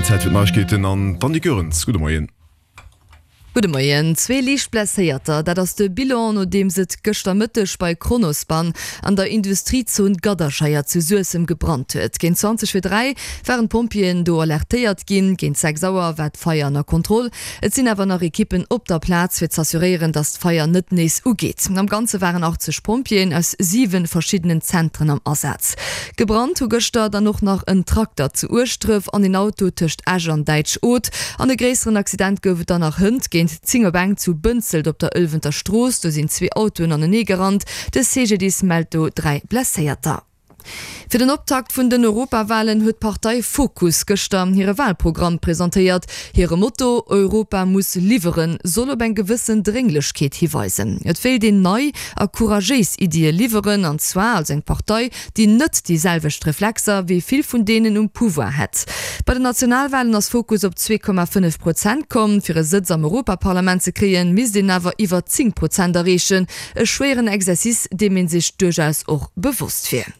Zäit fir d'Neiegkeeten an d'Annick Goerens. Gudde Moien. Gudde Moien. Zwee liicht Blesséierter, dat ass de Bilan, nodeems et gëschter Mëtteg bei Kronospan an der Industriezon Gadderscheier zu Suessem gebrannt huet. Géint 20 vir 3 waren d'Pompjeeën do alertéiert ginn. Géint 6 Auer war d'Feier ënner Kontroll. Et sinn awer nach Ekippen op der Plaz, fir z'assuréieren, datt d'Feier net nees ugeet. Am Ganze waren 80 Pompjeeën aus 7 verschiddenen Zentren am Asaz. Gebrannt hu gëschter dann och nach en Trakter zu Ueschdref an een Auto tëscht Esch an Däitsch-Oth. An e gréisseren Accident gouf et dann nach hënt géint 10 op eng zu Bënzelt op der Ëlwenter Strooss. Do sinn zwee Autoen anenee gerannt. De CGDIS mellt do 3 Blesséierter. Fir den Optakt vun den Europawalen huet d'Partei Fokus gëschter hire Walprogramm presentéiert. Hire Motto Europa muss liwweren soll op eng gewëssen Drénglechkeet hiweisen. Et wéilt een nei a couragéis Iddie liwweren, an zwar als eng Partei, déi net déi selwecht Reflexer wéi vill vun deenen um Pouvoir hätt. Bei den Nationalwalen ass Fokus op 2,5 Prozent komm. Fir e Sëtz am Europaparlament ze kréien, misst een awer iwwer 10 Prozent erreechen. E schwéieren Exercice, deem ee sech duerchaus och bewosst wier.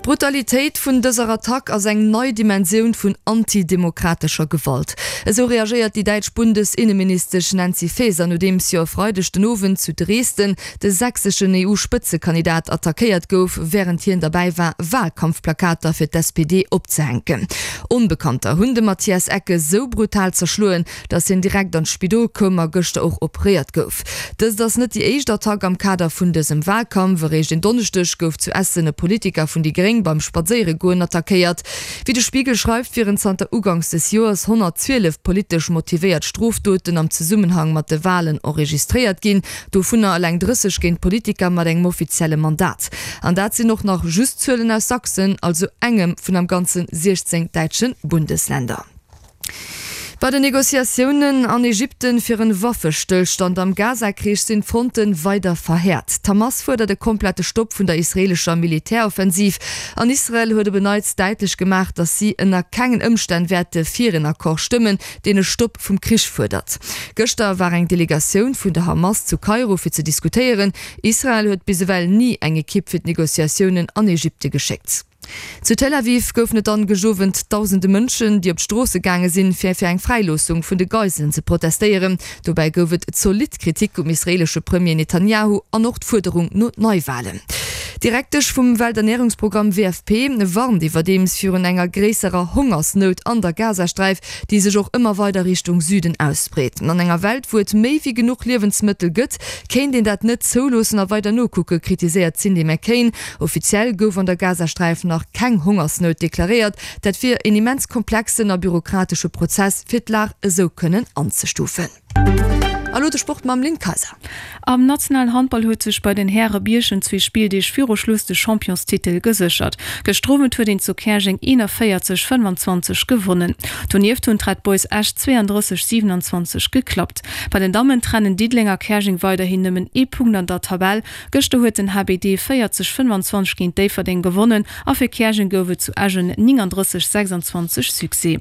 D'Brutalitéit vun dëser Attack ass eng nei Dimensioun vun antidemokratescher Gewalt. Esou reagéiert déi däitsch Bundesinneministesch Nancy Faeser, nodeems jo e Freideg den Owend zu Dresden de sächseschen EU-Spëtzekandidat attackéiert gouf, wärend hien derbäi war, Walkampfplakater fir d'SPD opzehänken. Onbekannter hunn de Matthias Ecke sou brutal zerschloen, datt hien direkt an d'Spidol koum a gëschter och operéiert gouf. Dëst ass net déi éischt Attack am Kader vun dësem Walkampf. Eréischt en Donneschdeg gouf zu Essen e Politiker vun déi Gréng beim Spadséieregoen attackéiert. Wéi de Spiegel schreift, wieren zanter uganks des Joers 112 politesch motivéiert Strofdoten am Zesummenhang mat de Walen enregistréiert ginn. Dovunner eleng 30 géint Politiker mat engem offizielle Mandat. An dat sinn och nach just Zuelen aus Sachsen, also engem vun am Ganze 16 däitsche Bundesländer. Bei den Negociatiounen an Ägypten fir en Waffestëllstand am Gaza-Krich sinn d'Fronte weider verhäert. D'Hamas fuerdert e komplette Stopp vun der israeelescher Militäroffensiv an Israel huet op en Neits däitlech gemaach, datt si ënner kengen Ëmstänn wäerte fir en Accord stëmmen, deen e Stopp vum Krich fuerdert. Gëschter war eng Delegatioun vun der Hamas zu Kairo fir ze diskutéieren. Israel huet bis ewell ni eng Ekipp fir d'Negociatiounen an Ägypte geschéckt. Zu Tel Aviv goufen et dann gëscht Owend dausende Mënschen, déi op d'Stroosse gaange sinn, fir fir eng Fräiloossung vun de Geiselen ze protestéieren. Dobäi gouf et zolidd Kritik um israeelesche Premier Netanjahu an och d'Fuerderung no Neiwalen. D'Direktesch vum Welternärungsprogramm WFP warnt iwwerdeems virun enger gréisserer Hongersnout an der Gazasträif, déi sech och ëmmer weider Richtung Süden ausbreet. An enger Welt, wou et méi wéi genuch Liewensmëttel gëtt, kéint een dat net zouloossen a weider nokucke, kritiséiert d'Cindy McCain. Offiziell gouf an der Gazasträif nach keng Hongersnout deklaréiert. Dat wier een immens komplexen a bürokratesche Prozess, fir d'Lag esou kënnen anzestufen. A lo de Sport mam Lynn Kayser. Am nationalen Handball huet sech bei den Häre Bierchem zwee Spilldeeg viru Schluss de Championstitel geséchert. Gëschter Owend huet een zu Käerjeng 41, 25 gewonnen. Donieft hunn d'Red Boys Esch 32, 27 geklappt. Bei den Dammen trennen Diddeleng a Käerjeng weiderhin nëmmen ee Punkt an der Tabell. Gëschter huet den HBD 40, 25 géint Déifferdeng gewonnen a fir Käerjeng gouf et zu Esch en 39, 26 Succès.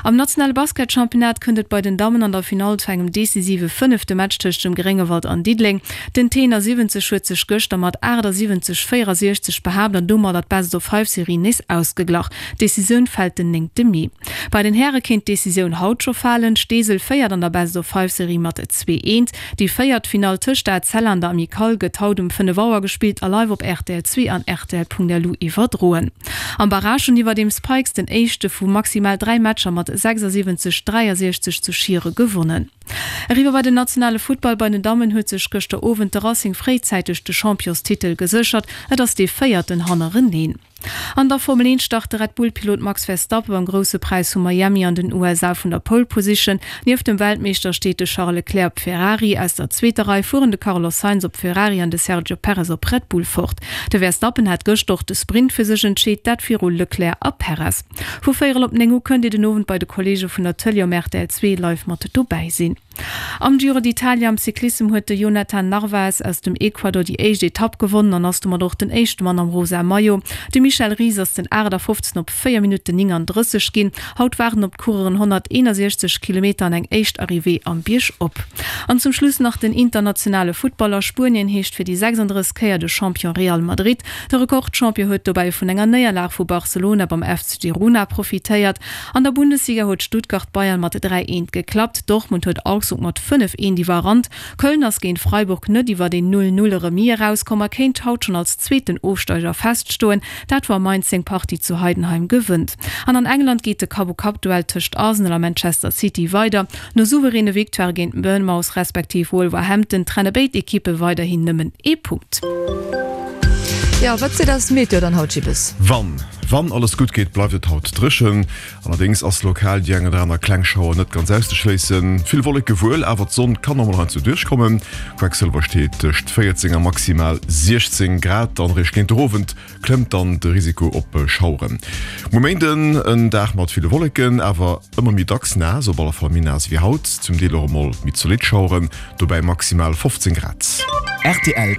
Am nationale Basketchampionnat kënnt et bei den Dammen an der Finall zu engem decisive fënnefte Match tëscht dem Gréngewald an Diddeleng. Den T71 huet sech gëschter mat 78, 64 behaapt an domadder d'Best-of-Five-Serie nees ausgeglach. D'Decisioun fält den néngte Mee. Bei den Häre kéint d'Decisioun haut scho falen. Steesel féiert an der Best-of-Five-Serie mat 2, Eent. Déi véiert Finall tëscht der ACL an der Amicale gëtt haut um 5 Auer gespillt a live op rtl 2 an rtl.lu iwwerdroen. Am Barrage hunn iwwerdeems d'Pikes den éischte vu maximal 3 Matcher mat 76, 63 zu Schiere gewonnen. Eriwwer bei den nationale Futtball, Bei den Dammen huet sech gëschter Owend de Racing fréizäiteg de Championstitel geséchert. Et ass dee véierten hannereneen. An der Formel 1 start de Red-Bull-Pilot Max Verstappen beim Grousse Präis vu Miami an den USA vun der Pole Position. Nieft dem Weltmeeschter steet de Charles Leclerc op Ferrari. Aus der zweeter Rei fueren de Carlos Sainz op Ferrari an de Sergio Perez op Red Bull fort. De Verstappen hat gëschter och de Sprint fir sech entscheet, dat viru Leclerc a Perez. Vu véierel op 9 u kënnt Dir den Owend bei de Kolleege vun der Tëlee um rtl 2 live mat dobäi sinn. Am Giro d'Italia am Cyclissem huet de Jhonatan Narvaez aus dem Ecuador déi éischt Etapp gewonnen an ass domat och den éischte Mann am rosa Maillot. De Michel Ries ass den 58. op 4 Minutten 39 ginn. Haut waarden op d'Coureuren 161 Kilometer an eng éischt Arrivée am Bierg op. An zum Schluss nach den internationale Futtball. A Spuenien heescht fir déi 36. Kéier de Champion Real Madrid. De Rekordchampion huet dobäi vun enger Néierlag vu Barcelona beim FC Girona profitéiert. An der Bundesliga huet Stuttgart Bayern mat 3, 1 geklappt, Dortmund huet Augsburg mat 5, 1 iwwerrannt, Köln ass géint Freiburg net iwwert een 0, 0 Remis erauskomm a kéint haut schonn als zweeten Ofsteiger feststoen, dat wa Mainz seng Partie zu Heidenheim gewënnt. An an England geet de Kapp-u-Kapp-Duell tëscht Arsenal a Manchester City weider. No souveräne Victoirë géint Bournemouth respektiv Wolverhampton trenne béid Ekippe weiderhin nëmmen ee Punkt. Jo, wat seet eis d'Meteo dann haut, Gibbes? Wann Wann alles gutt geet, bleift et haut dréchen. Allerdéngs ass lokal déi eng oder aner kleng Schauer net ganz auszeschléissen. Vill Wolleke wuel, awer d'Sonn kann och mol heiansdo duerchkommen. Quecksëlwer steet tëscht 14 a maximal 16 Grad an eréischt géint de Owend klëmmt dann de Risiko op Schaueren. Muer Méinden en Dag mat ville Wolleken, awer ëmmer méi dacks naass, op alle Fall méi naass wéi haut, zum Deel och emol méi zolidd Schaueren, dobäi maximal 15 Grad. Rtl.